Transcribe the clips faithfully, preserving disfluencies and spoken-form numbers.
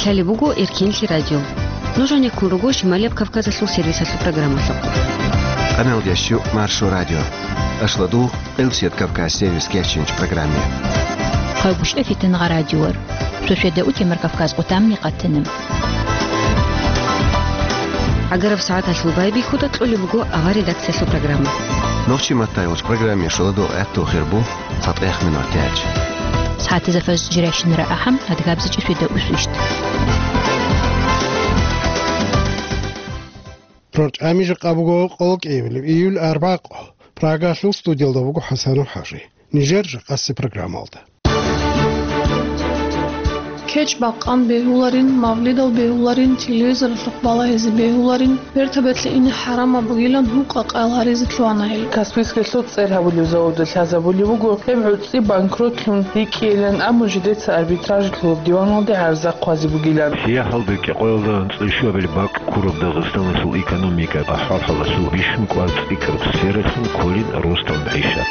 Гьале буго Эркенлъи радио. Нуж гьанеккун руго Шималияб Кавказалъул сервисалъул программалъухъ. Къамелдящу Маршо радио. Ашладу Элсет Кавказ сервис кечинч программе. Хъайгъуш эфитан гъа радиор. Сосведа утемар Кавказ къутамни къатанам. Агараб сагӀаталъул байбихьуда кьолеб буго авар редакциялъул программа. Нохчи маттайгъуш программе шоладо гӀатту хирбу. Фатех минутач. СагӀатазда фаз жирайщинара ахӀам, адгабзичӀи светда усвищт. РорчӀами жакъа буго къоло кӀиабилеб июль арбакъо. Прагалъул студиялда буго ХӀасанов ХӀажи. Нижер жакъаси программалда. КечӀ бакъан бегьуларин, мавлидал бегьуларин, телевизоралъухъ балагьизе бегьуларин, бертабетлъи ине хӀарамаб бугилан гьукъа къайгъ гьаризе лъугьана гьел. Каспийскиялъул цӀер гьабулев заводалъ лъазабулев вуго гьеб гӀуцӀи банкротлъун рикӀкӀейилан, амма жидеца арбитражлъулаб диваналде гӀарза хъвазе бугилан. Сияхалда кӀикъоялда анцӀила щуабилеб бакӀ ккураб Дагъистаналъул экономика ахӀвал-хӀалалъул бищун кӀвар цӀикӀкӀараб сфералъун кколин росдал мегӀишат.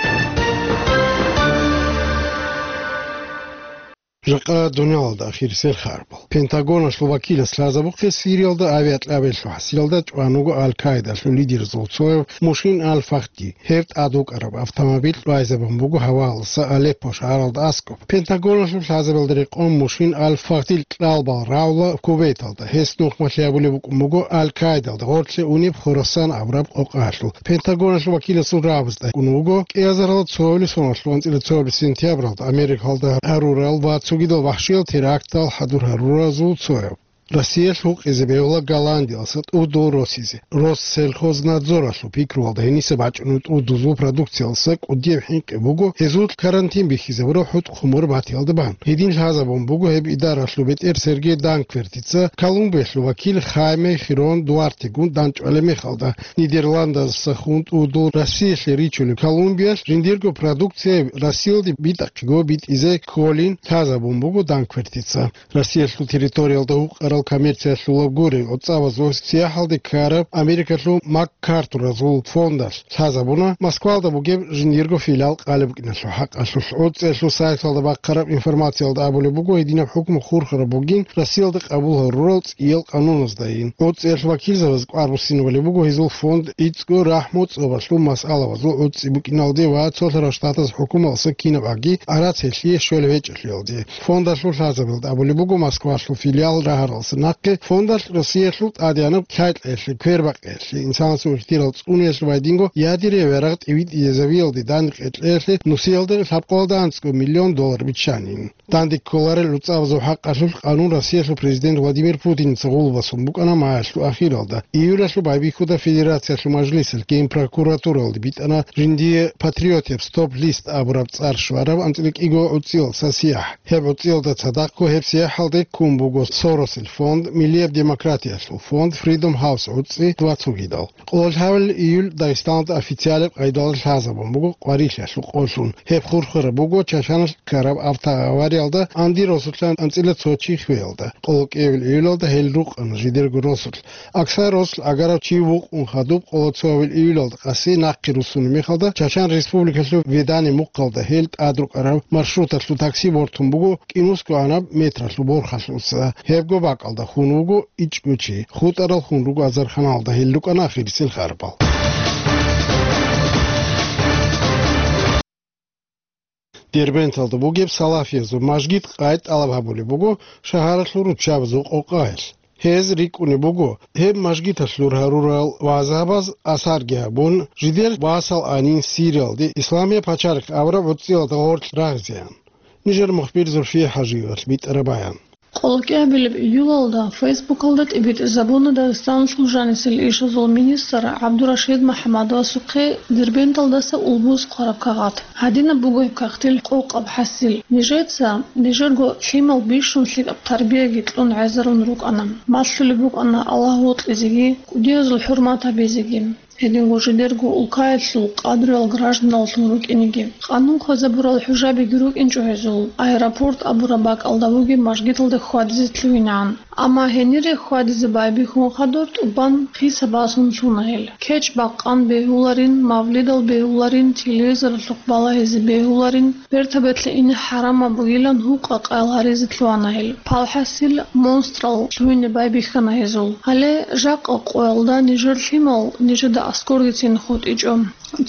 Жакъа дуниялалда ахирисел харбал. Пентагоналъул вакилас лъазабухъе Сириялда авиакьабиялъул хӀасилалда чӀван вуго Аль-Каидалъул лидерзул цояв Мушин Аль-Фахди. Гьев тӀад вукӀараб автомобиль кьвайзабун буго гьаваялдаса Алеппо шагьаралда аскӀоб. Пентагоналъул лъазабиялда рекъон Мушин Аль-Фахдил кьалбал равла Кувейталда. Гьес нухмалъи гьабулеб букӀун буго Аль-Каидалда гъорлъе унеб Хорасан абураб къокъаялъул. Пентагоналъул вакиласул рагӀабазда кӀун вуго кӀиазарал цоялъул соналъул анцӀила цоялъ сентябралда Америкалда гьарурал ва цогидал вахӀшиял терактал хӀадур гьаруразул цояв. Россиялъ гьукъизе бегьула Голландиялдаса тӀудул росизе, Россельхознадзоралъул пикруялда гьениса бачӀунеб тӀудузул продукциялдаса кӀудияб хӀинкъи буго гьезул карантин бихьизабураб хӀутӀ-хъумур батиялда бан. Гьедин лъазабун буго гьеб идаралъул бетӀер Сергей Данквертица Колумбиялъул вакил Хайме Хирон Дуартегун дандчӀвалеб мехалда. Нидерландасдаса хун тӀудул Россиялъе ричулеб Колумбиялъ жиндирго продукция Россиялде битӀахъего битӀизе кколин лъазабун буго Данквертица. Россиялъул территориялда гьукъарал коммерциялъулаб гурел гӀуцӀабазул сияхӀалде ккараб Америкалъул МакАртуразул фондалъ лъазабуна Москвалда бугеб жиндирго филиал къалеб букӀиналъул хӀакъалъулъ. ГӀуцӀиялъул сайталда бахъараб информациялда абулеб буго, гьединаб хӀукму хурхараб бугин Россиялда къабул гьарурал цӀиял къануназдайин. ГӀуцӀиялъул вакилзабаз кӀвар буссинабулеб буго гьезул фонд ицӀго рахӀму цӀобалъул масъалабазул гӀуцӀи букӀиналде ва цолъарал штатаз хӀукумалдаса кинаб аги гӀарац гьелъие щвел гьечӀелъиялде. Фондалъул лъазабилда абулеб буго Москвалъул филиал рагьаралдаса нахъе фондалъ Россиялъул тӀадегӀанаб лъай-кьеялъе, квербакъиялъе, инсанасул ихтирал цӀуниялъе ва гьединго ядерный авиарагъ тӀивитӀизавиялде дандекъей кьеялъе нусиялда лъабкъоялда анцӀго миллион доллар биччанин. Данде кколарел гӀуцӀабазул хӀакъалъулъ къанун Россиялъул президент Владимир Путиница гъулбасун букӀана маялъул ахиралда. Июлалъул байбихьуда Федерациялъул Мажлисалъ Генпрокуратуралде битӀана жиндие патриотияб стоп-лист абураб цӀар щвараб анцӀила кӀиго гӀуцӀиял са сияхӀ. Гьеб гӀуцӀиялда цадахъго гьеб сияхӀалде ккун буго Соросил фонд, Миллияб демократиялъул фонд, Freedom House гӀуцӀи ва цогидал. Къоло лъабабилеб июль Дагъистаналда официалаб къайдалда лъазабун буго къварилъиялъул къолъун. Гьеб хурхараб буго Чачаналъ ккараб автоавариялда Анди росулъан анцӀила цо чи хвеялда. Къоло кӀиабилеб июлалда гьел рукъана жидерго росулъ. Аксар росулъ агарав чи вукъун хадуб къоло цоабилеб июлалда къаси нахъе руссунеб мехалда Чачан Республикалъул Ведани мухъалда гьел тӀад рукӀараб маршруталъул такси бортун буго кӀинусго гьанаб метралъул борхалъуса. Гьебго бакӀалда хун вуго ичӀго чи. ХутӀарал хун руго азарханалда, гьел рукӀана ахирисел харбал. Дербенталда бугеб салафиязул мажгит къай тӀалаб гьабулеб буго шагьаралъул руччабазул къокъаялъ. Гьез рикӀкӀунеб буго, гьеб мажгиталъур гьарурал вагӀзабаз асарги гьабун, жидер васал анин Сириялде исламияб пачалихъ абураб гӀуцӀиялда гъорлъ рагъизеян. Нижер мухбир Зульфия ХӀажиевалъ битӀараб баян. Къоло кӀиабилеб июлалда Фейсбукалда тӀибитӀизабуна Дагъистаналъул жанисел ишазул министр ГӀабдурашид МахӀаммадовасухъе Дербенталдаса улбуз хъвараб кагъат. Гьадинаб буго гьеб кагътил къокъаб хӀасил: нижеца, нижерго лъимал бищун лъикӀаб тарбияги кьун гӀезарун рукӀана. Малъулеб букӀана Аллагь вокьизеги, кӀудиязул хӀурмат гьабизеги. Гьединго жидерго улкаялъул къадриял гражданаллъун рукӀинеги, къанун хвезабурал хӀужабиги рукӀинчӀо гьезул, аэропорт абураб бакӀалда бугеб мажгиталда хьвадизе лъугьинегӀан. Амма гьенире хьвадизе байбихьун хадур тӀубан хиса басун лъуна гьел. КечӀ бакъан бегьуларин, мавлидал бегьуларин, телевизоралъухъ балагьизе бегьуларин, бертабетлъи ине хӀарамаб бугилан гьукъа-къаял гьаризе лъугьана гьел. Палхасил монстрал лъугьине байбихьана гьезул. Гьале жакъа къоялда нижер лъимал нижеда аскӀоргицин хутӀичӀо.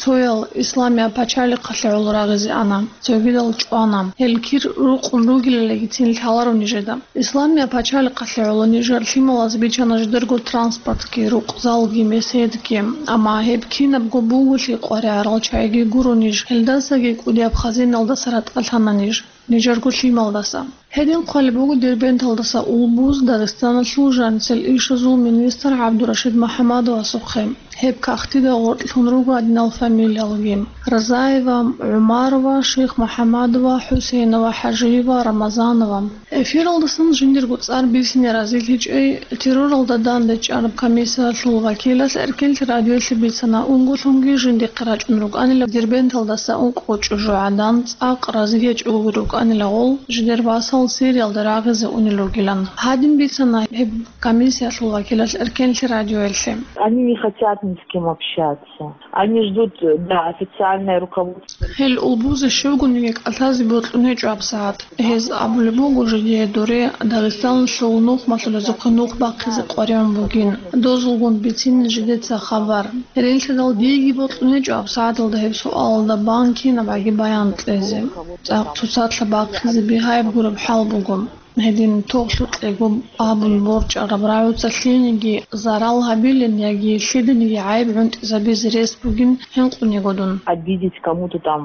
Цоял Исламия пачалихъалъе гӀоло рагъизе ана, цогидал чӀвана. Гьел кир рукъун ругелалдагицин лъаларо нижеда. Исламия пачалихъалъе гӀоло нижер лъималаз бичана жидерго транспортги, рукъзалги, меседги. Амма гьеб кинабго бугелъи къваригӀарал чагӀиги гуро ниж, гьелдасаги кӀудияб хазиналдаса ратӀалъана ниж, нижерго лъималдаса. Гьедин хъвалеб буго Дербенталдаса улбуз Дагъистаналъул жанисел ишазул министр ГӀабдурашид МухӀаммадовасухъе. Гьеб кагътида гъоркьлъун руго гьадинал фамилиялги: Разаева, ГӀумарова, Шихмухьамадова, ХӀусейнова, ХӀажиева, Рамазанова. Эфиралдасан жиндирго цӀар бисине разилъичӀей, терроралда дандечӀараб комиссиялъул вакилалъ Эркенлъи радиоялъе бицана, унголъунги жиндихъе рачӀун рукӀанила Дербенталдаса ункъо чӀужугӀадан цӀакъ разиячӀого рукӀанила гъол, жидер васал Сириялда рагъизе унел ругилан. Гьадин бицана гьеб комиссиялъул вакилалъ Эркенлъи радиоялъе. Они не хотят ни с кем общаться. Они ждут, да, официальное руководство. Гьел улбузе щивгониги кӀалъазе бокьун гьечӀо гьабсагӀат. Гьез абулеб буго жидее дуре Дагъистаналъул нухмалъулазухъе нух бахъизе къваригӀун бугин. Дозулгун бицин жидеца хабар. Гьединлъидал диеги бокьун гьечӀо гьабсагӀаталда гьеб суалалда бан кинабгӀаги баян кьезе. ЦӀакъ цоцалъа бахъизе бигьаяб гураб хӀал буго. Гьедин тоблъукьего абун борчӀараб рагӀуца лъиениги зарал гьабилин яги лъиданиги гӀайиб гӀунтӀизабизе рес бугин гьенкъунего дун. Обидеть кому-то там,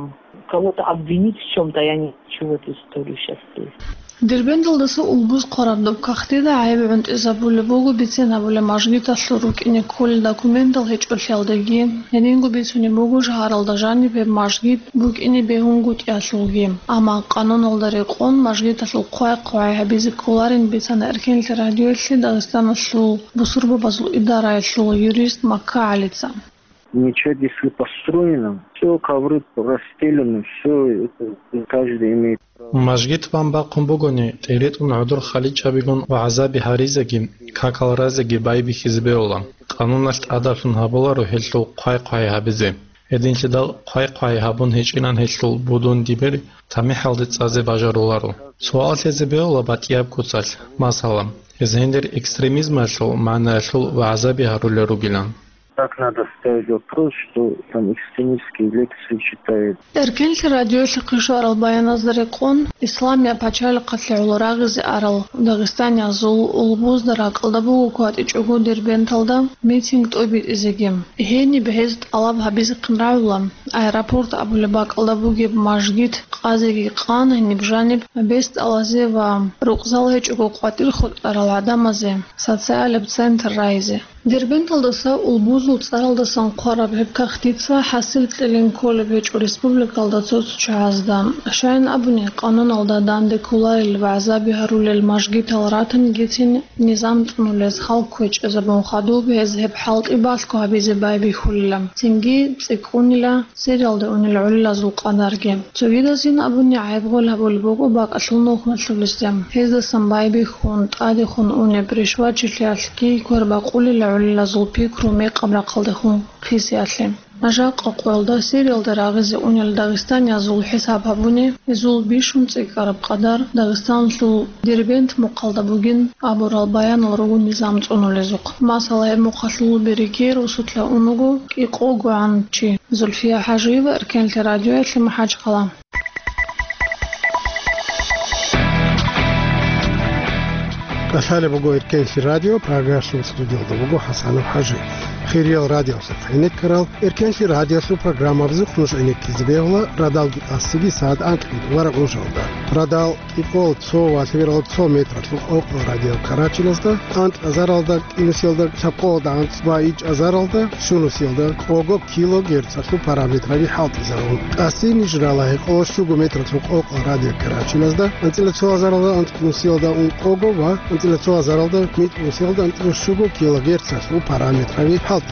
кого-то обвинить в чём-то, я не хочу в эту историю сейчас лезть. Дербенталдаса улбуз хъвараб доб кагътида гӀайиб гӀунтӀизабулеб буго бицен гьабулеб мажгиталъул рукӀине кколел документал гьечӀолъиялдаги. Гьединго бицунеб буго шагьаралда жаниб гьеб мажгит букӀине бегьунгутӀиялъулги. Амма къануналда рекъон мажгиталъул хъвай-хъвай гьабизе кколарин бицана Эркенлъи радиоялъе Дагъистаналъул бусурбабазул идараялъул юрист Макка ГӀалица. Ничего здесь не построено. Все ковры расстелены, все это каждый имеет право. Мажгит бан бахъун бугони, тӀеритӀун гӀодор халичабигун ва гӀазаби гьаризеги, какал разеги байбихьизе бегьула. Къануналъ тӀадаблъун гьабуларо гьелъул хъвай-хъвай гьабизе. Гьединлъидал хъвай-хъвай гьабун гьечӀилан гьелъул будун дибир тамихӀалде цӀазе бажаруларо. Суал лъезе бегьула батӀияб куцалъ, масала, гьез гьендир экстремизмалъул магӀнаялъул ва гӀазаби гьарулел ругилан. Так надо ставить вопрос, что там экстремистские лекции читает. Эркенлъи радиоялъухъе щварал баяназда рекъон, Исламия пачалихъалъе гӀоло рагъизе арал дагъистаниязул улбузда ракӀалда буго кватӀичӀого Дербенталда митинг тӀобитӀизеги. Гьениб гьез тӀалаб гьабизехъин рагӀула, аэропорт абулеб бакӀалда бугеб мажгит къазеги къан, гьениб жаниб бесдалазе ва рукъзал гьечӀого къватӀир хутӀарал гӀадамазе социалаб центр райизе. Дербенталдаса улбузул цӀаралдасан хъвараб гьеб кагътица хӀасил кьелин кколеб гьечӀо республикалда цо-цо чагӀазда. Щайин абуни, къануналда данде кколарел ва гӀазаби гьарулел мажгитал ратанигицин низам цӀунулез хал кквечӀезабун хадуб, гьез гьеб хӀалтӀи балъго гьабизе байбихьулила, цинги цӀикӀкӀунила Сириялда унел гӀолилазул къадарги. Цогидазин абуни гӀайиб гъол гьабулеб буго бакӀалъул нухмалъулесда. Гьездасан байбихьун, тӀадехун унеб ришвачилъиялъги квербакъулила гӀолилазул пикру мекъаб рахъалдехун хисиялъе. Жакъа къоялда Сириялда рагъизе унел дагъистаниязул хӀисаб гьабуни, гьезул бищун цӀикӀкӀараб къадар Дагъистаналъул Дербент мухъалда бугин абурал баянал руго низам цӀунулезухъ. Масала, гьеб мухъалъул береги росулъа унаго кӀикъогогӀан чи. Зульфия ХӀажиева, Эркенлъи радиоялъе, МахӀачхъала. КӀалъалеб буго Эркенлъи радио, программалъул студиялда буго ХӀасанов ХӀажи. Хириял радиоялъухъ гӀенеккарал, Эркенлъи радиоялъул программабазухъ нуж гӀенеккизе бегьула радалги къасиги сагӀат анкьги варагъуншалда. Радал кӀикъоялда цо ва лъабералда цо метралъул къокъо радио Карачиназда, анкь азаралда, кӀинусиялда, лъабкъоялда анцӀ ва ичӀ азаралда, щунусиялда къого килогерцалъул параметраби хӀалтӀизарун. Къаси ниж рала гьекъолда щуго метралъул къокъо радио Карачиназда, анцӀила цо азаралда анцӀкӀинусиялда ункъого ва анцӀила цо азаралда микьнусиялда анцӀила щуго килогерцалъул параметраби хӀалтӀизарун.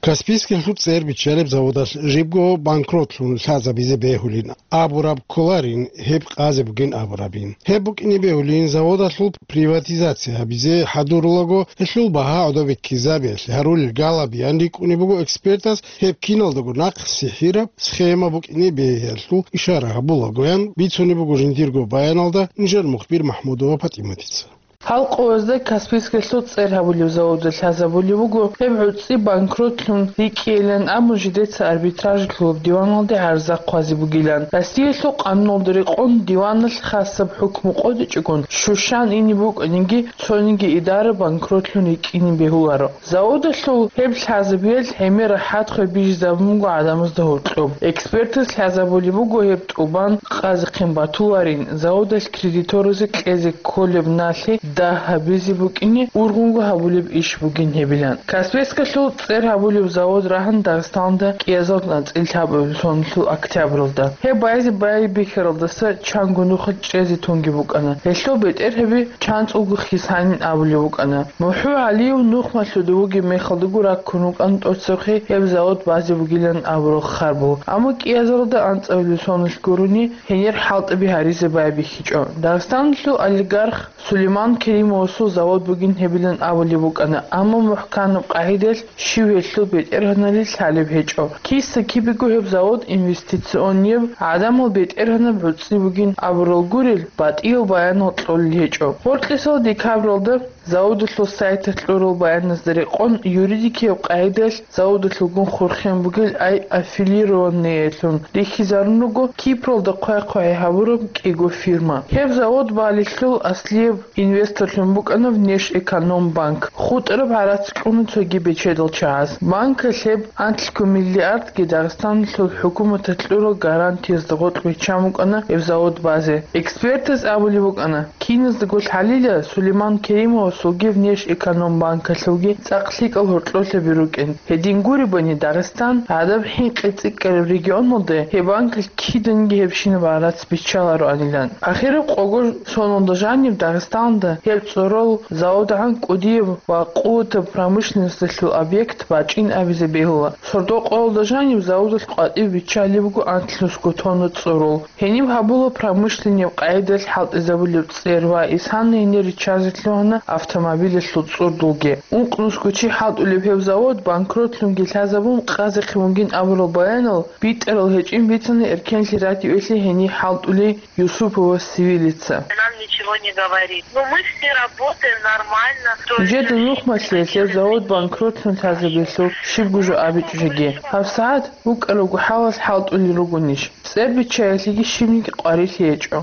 Каспийскиялъул цӀер биччалеб заводалъ жибго банкротлъун лъазабизе бегьулин абураб кколарин, гьеб къазе бугин абурабин. Гьеб букӀине бегьулин заводалъул приватизация гьабизе хӀадурулаго, гьелъул багьа гӀодобе ккезабиялъе гьарулел галабиян рикӀкӀунеб буго экспертас гьеб киналдаго нахъ сихӀираб схема букӀине бегьиялъул ишара гьабулагоян бицунеб буго жиндирго баяналда нижер мухбир МахӀмудова ПатӀиматица. Гьал къоязда Каспийскиялъул цӀер гьабулеб заводалъ лъазабулеб буго, гьеб гӀуцӀи банкротлъун рикӀкӀейилан абун жидеца арбитражалъулаб диваналде гӀарза хъвазе бугилан. Россиялъул къануналда рекъон диваналъ хасаб хӀукму къотӀичӀогун щущан ине букӀаниги, цониги идара банкротлъун рикӀкӀине бегьуларо. Заводалъул гьеб лъазабиялъ гӀемер рахӀат хвей бижизабун буго гӀадамазда гьоркьоб. Экспертаз лъазабулеб буго гьеб тӀубан къазехъин батуларин, заводалъ кредиторазе кьезе кколеб налъи дагь гьабизе букӀине ургъунго гьабулеб иш бугин гьебилан. Каспийскалъул цӀер гьабулеб завод рагьана Дагъистанда кӀиазал анцӀила лъабабилеб соналъул октябралда. Гьеб байзе байбихьаралдаса чанго нухалъ чӀезе тунги букӀана. Гьелъул бетӀергьаби чанцӀулго хисанин абулеб букӀана. МухӀу ГӀалиев нухмалъуда вугеб мехалдаго раккун вукӀана тӀоцебехъи гьеб завод базе бугилан абурал хабар. Амма кӀиазаралда анцӀабилеб соналъ гурони гьенир хӀалтӀаби гьаризе байбихьичӀо. Дагъистаналъул олигарх Сулейман Керимовасул завод бугин гьебилан абулеб букӀана, амма мухӀканаб къагӀидалъ щив гьелъул бетӀергьаналил лъалеб гьечӀо. Киса-кибего гьеб завод инвестиционияб, гӀадамал бетӀергьанаб гӀуцӀи бугин абурал гурел, батӀиял баянал кьолел гьечӀо. Гьоркьисал декабралда заводалъул сайталъ кьурал баяназда рекъон, юридикияб къагӀидалъ заводалъулгун хурхен бугел ай аффилированныеялъун рихьизарун руго Кипралда хъвай-хъвай гьабураб кӀиго фирма. Гьеб завод балелъул аслияб инвесторлъун букӀана Внешэкономбанк, хутӀараб гӀарац кьуна цоги бечедал чагӀаз. Банкалъ гьеб анлъго миллиардги Дагъистаналъул хӀукуматалъ кьурал гарантиязда гъоркь биччан букӀана гьеб завод базе. Экспертаз абулеб букӀана, киназдаго лъалила Сулейман Керимовасулги Внешэкономбанкалъулги цӀакъ лъикӀал гьоркьолъаби рукӀин. Гьедин гуребани, Дагъистан гӀадаб хӀинкъи цӀикӀкӀараб регионалда гьеб банкалъ киданиги гьебщинаб гӀарац биччалароанилан. Ахираб къого соналда жаниб Дагъистанда гьеб цӀорол заводгӀан кӀудияб ва къуватаб промышленносталъул объект бачӀин абизе бегьула. Сордо-къоялда жаниб заводалъ къватӀиб биччалеб буго анлънусго тонна цӀорол. Гьениб гьабула промышленнияб къагӀидалъ хӀалтӀизабулеб цӀер ва исана гьенир риччазе лъугьана автомобилалъул цӀурдулги. Ункънусго чи хӀалтӀулеб гьеб завод банкротлъунги лъазабун къазехъин бугин абурал баянал битӀарал гьечӀин бицана Эркенлъи радиоялъе гьенир хӀалтӀулей Юсупова Севилица. Нам ничего не говорит. Но мы все работаем нормально. Нижеда нухмалъиялъе завод банкротлъун лъазабиялъул щибго жо абичӀо жеги. ГьабсагӀат букӀарабго хӀалалъ хӀалтӀулел ругонищ? ЦӀер биччаялъеги щибниги къварилъи гьечӀо.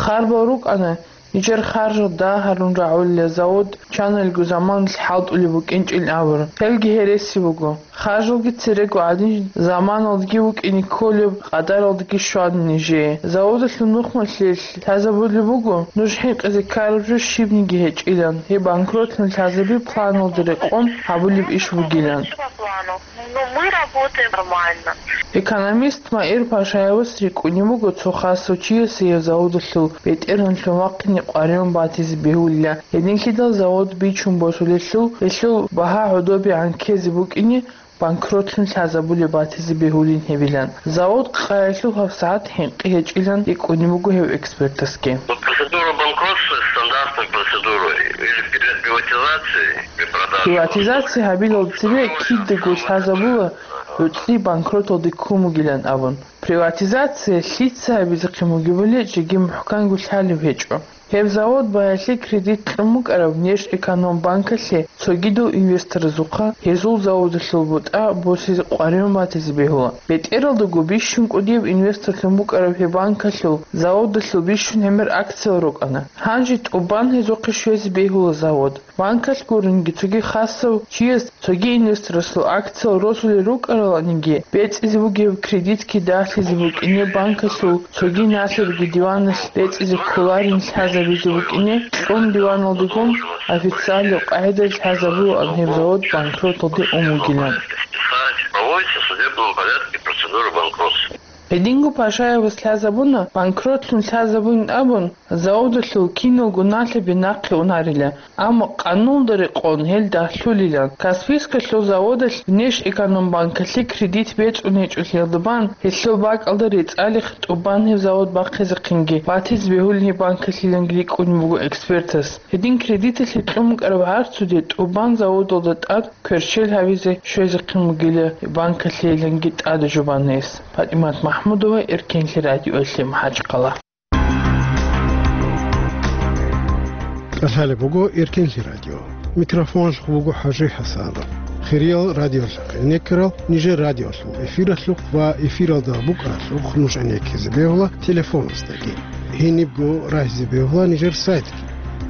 Харбал рукӀана, нижер харжал дагьарун рагӀулел завод чанго заманалъ хӀалтӀулеб букӀинчӀин абураб. Гьелги гьереси буго. Харжалги церего гӀадин заманалдаги вукӀине кколеб къадаралдаги щвана нижее. Заводалъул нухмалъиялъ лъазабулеб буго, нуж хӀинкъизе ккараб жо щибниги гьечӀилан, гьеб банкротлъун лъазабиялъе планалда рекъон гьабулеб иш бугилан. Но мы работаем нормально. Экономист Маир Пашаевас рикӀкӀунеб буго цо хасав чиясе гьев заводалъул бетӀергьанлъун вахъине къваригӀун батизе бегьулила, гьединлъидал завод бичун босулелъул, гьелъул багьа гӀодобегӀан ккезе букӀине банкротлъун лъазабулеб батизе бегьулин гьебилан. Завод къаялъул гьабсагӀат хӀинкъи гьечӀилан рикӀкӀунеб буго гьев экспертасги. Вот процедура банкротства — стандартная процедура или перед приватизацией, при продаже. Приватизация гьабилал цебе кидаго лъазабула гӀуцӀи банкроталде ккун бугилан абун. Приватизация лъица гьабизехъин бугебали жеги мухӀканго лъалеб гьечӀо. Гьеб завод баялъе кредит кьун букӀараб Внешэкономбанкалъе цогидал инвесторазухъа гьезул заводалъул бутӀа босизе къваригӀун батизе бегьула. БетӀералдаго бищун кӀудияб инвесторлъун букӀараб гьеб банкалъул заводалъул бищун гӀемер акциял рукӀана. Гьанже тӀубан гьезухъе щвезе бегьула завод. Банкалъ гуринги цоги хасав чияс цоги инвесторасул акциял росулел рукӀараланиги, бецӀизе бугеб кредитги дагьлъизе букӀине банкалъул цоги налъерги диваналъ бецӀизе кколарин лъазабизе букӀине кьун диваналдегун официалияб къагӀидаялъ лъазабулаан гьеб завод банкроталде ун вугилан. Проводится в судебном порядке процедура банкротства. Гьединго Пашаевас лъазабуна, банкротлъун лъазабун абун, заводалъул киналго налъаби нахъе унарила, амма къанулда рекъон гьел дагьлъулилан. Каспийскалъул заводалъ Внешэкономбанкалъе кредит бецӀун гьечӀолъиялда бан, гьелъул бакӀалда рецӀалихъ тӀубан гьеб завод бахъизехъинги, батизе бегьулин гьеб банкалъиланги рикӀкӀунеб буго экспертас. Гьедин кредиталъе кьун букӀараб гӀарцуде тӀубан заводалда тӀад кверщел гьавизе щвезехъин бугила гьеб банкалъейиланги тӀада жубан гьес. ПатӀимат МахӀмудова, Эркенлъи радиоялъе МахӀачхъала. КӀалъалеб буго Эркенлъи радио. Микрофоналъухъ буго ХӀажи ХӀасанов. Хириял радиолъахъ гӀенеккарал нижер радиолъул эфиралъухъ ва эфиралда букӀаралъухъ нуж гӀенеккизе бегьула телефоназдаги. Гьенибго рагьизе бегьула нижер сайтги.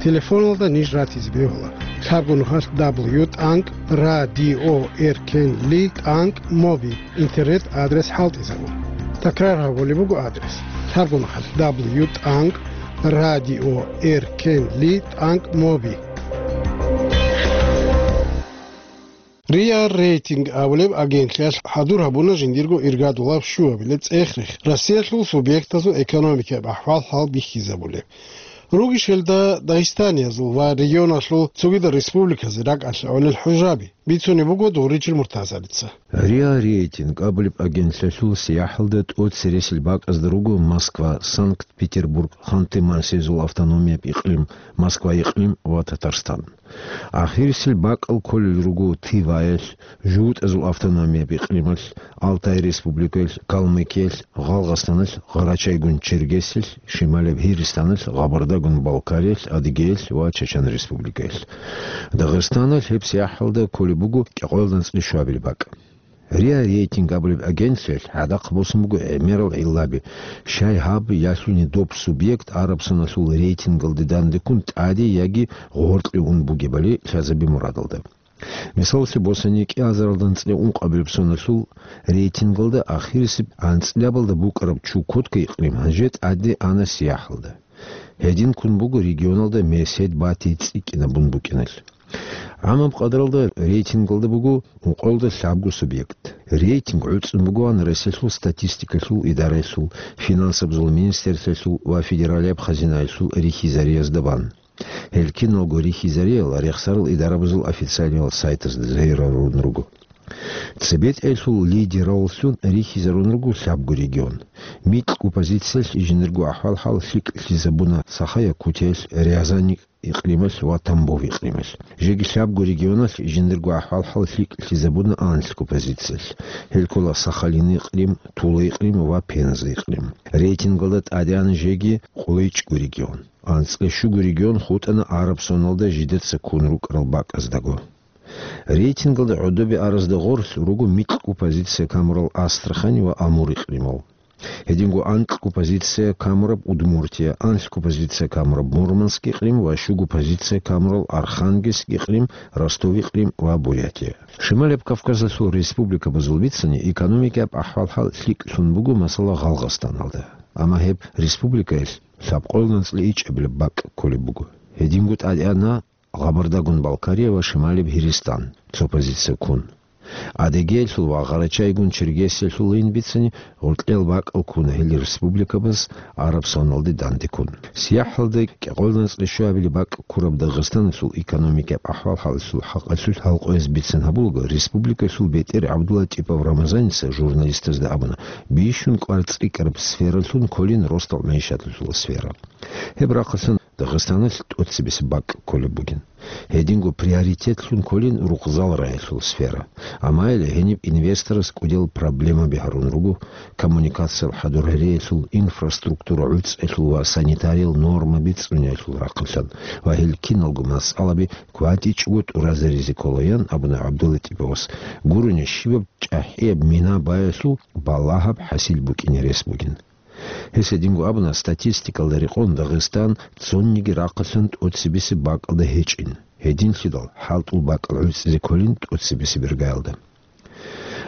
Телефоналда ниж ратизе бегьула: лъабго нухалъ дабл ю тӀанкӀ радио эркенли тӀанкӀ моби интернет-адрес хӀалтӀизабун. Такрар гьабулеб буго адрес: лъабго нухалъ дабл ю тӀанкӀ радио эркенли тӀанкӀ моби. РИА Рейтинг абулеб агентлъиялъ хӀадур гьабуна жиндирго иргадулаб щуабилеб цӀех-рех, Россиялъул субъектазул экономикаяб ахӀвал-хӀал бихьизабулеб. Ругищ гьелда Дагъистаниязул ва регионалъул цогидал республиказе ракӀалъе гӀолел хӀужаби. Бицунеб буго Дугъричил Муртазалица. РИА Рейтинг абулеб агентлъиялъул сияхӀалда тӀоцересел бакӀазда руго Москва, Санкт-Петербург, Ханты-Мансийзул автономияб икълим, Москва икълим ва Татарстан. Ахирисел бакӀал кколел руго Тываялъ, ЖугьутӀазул автономияб икълималъ, Алтай республикаялъ, Калмыкиялъ, Гъалгъастаналъ, Гъарачайгун-Чергесиялъ, Шималияб Гьиристаналъ, Гъабардагун-Балкариялъ, Адыгеялъ ва Чачан республикаялъ. Дагъистаналъ гьеб сияхӀалда кколеб буго кӀикъоялда анцӀила щуабилеб бакӀ. РИА Рейтинг абулеб агентлъиялъ гӀадахъ босун буго гӀемерал гӀиллаби, щай гьаб ялъуни доб субъект араб соналъул рейтингалде дандеккун тӀаде яги гъоркье ун бугебали лъазаби мурадалда. Мисаллъи босани, кӀиазаралда анцӀила ункъабилеб соналъул рейтингалда ахирисеб анцӀилабалда букӀараб Чукотка икълим гьанже тӀаде ана сияхӀалда. Гьедин ккун буго регионалда месед бати цӀикӀкӀинабун букӀиналъ. ГӀамаб къадралда рейтингалда буго ункъоялда лъабго субъект. Рейтинг гӀуцӀун бугоан Россиялъул статистикалъул идараялъул, финансабазул министерствоялъул ва федералияб хазинаялъул рихьизариязда бан. Гьел киналго рихьизариял рехсарал идарабазул официальныйал сайтазда загьирарун руго. ЦебетӀелъул лидераллъун рихьизарун руго лъабго регион. Микьго позициялъ жиндирго ахӀвал-хӀал лъикӀлъизабуна Саха-Якутиялъ, Рязань икълималъ ва Тамбов икълималъ. Жеги лъабго регионалъ жиндирго ахӀвал-хӀал лъикӀлъизабуна анлъго позициялъ. Гьел ккола Сахалин икълим, Тула икълим ва Пенза икълим. Рейтингалда тӀадегӀан жеги къойчӀго регион. АнцӀила щуго регион хутӀана араб соналда жидеца ккун рукӀарал бакӀаздаго. Рейтингалда гӀодобе аразда гъорлъ руго микьго позиция камурал Астрахань ва Амур икълимал. Гьединго анкьго позиция камураб Удмуртия, анлъго позиция камураб Мурманск икълим ва щуго позиция камурал Архангельск икълим, Ростов икълим ва Бурятия. Шималияб Кавказалъул республикабазул бицани экономикаяб ахӀвал-хӀал лъикӀлъун буго, масала, Гъалгъастаналда. Амма гьеб республикаялъ лъабкъоялда анцӀила ичӀабилеб бакӀ кколеб буго. Гьединго тӀадегӀана Гъабардагун-Балкария ва Шималияб Гьиристан, цо позиция ккун. Адыгеялъул ва Гъарачайгун-Чергесиялъулайин бицани, гъоркьел бакӀал ккуна гьел республикабаз араб соналде дандеккун. СияхӀалда кӀикъоялда анцӀила щуабилеб бакӀ ккураб Дагъистаналъул экономикаяб ахӀвал-хӀалалъул хӀакъалъулъ гьалкъояз бицин гьабулаго, республикалъул бетӀер ГӀабдулатипов Рамазаница журналистазда абуна, бищун кӀвар цӀикӀкӀараб сфералъун кколин росдал мягӀишаталъул сфера. Гьеб рахъалъан Дагъистаналъ тӀоцебесеб бакӀ кколеб бугин. Гьединго приоритетлъун кколин рукъзал раялъул сфера. Амма гьеле гьениб инвесторас кӀудиял проблемаби гьарун руго коммуникациял хӀадур-гьариялъул, инфраструктура гӀуцӀиялъул ва санитариял нормаби цӀуниялъул рахъалъан ва гьел киналго масъалаби кватӀичӀого тӀуразаризе кколаян абуна ГӀабдулатиповас, гурони щибаб чӀахӀияб мина баялъул балагьаб хӀасил букӀине рес бугин. Гьес гьединго абуна, статистикалда рекъон Дагъистан цониги рахъалъан тӀоцебесеб бакӀалда гьечӀин. Гьединлъидал хӀалтӀул бакӀал гӀуцӀизе кколин тӀоцебесеб иргаялда.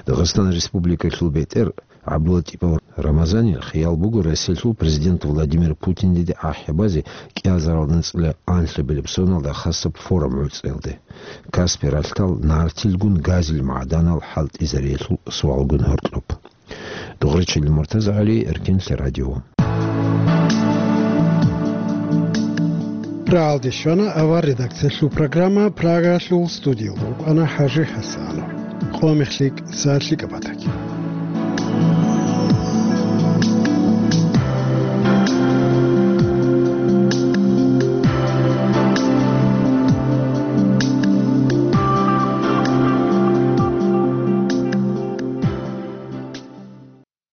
Дагъистан Республикалъул бетӀер ГӀабдулатипов Рамазанил хиял буго Россиялъул президент Владимир Путиндеде ахӀи базе кӀиазаралда анцӀила анлъабилеб соналда хасаб форум гӀуцӀиялде. Каспи ралъдал нартилгун газил магӀданал хӀалтӀизариялъул суалгун гьоркьоб. Къурчил МуртазагӀали, Эркенлъи радио. Рагьалде щвана авар редакциялъул программа, Прагалъул студиялда рукӀана ХӀажи ХӀасанов. Къо мехлъи, са лъикӀаб батаги.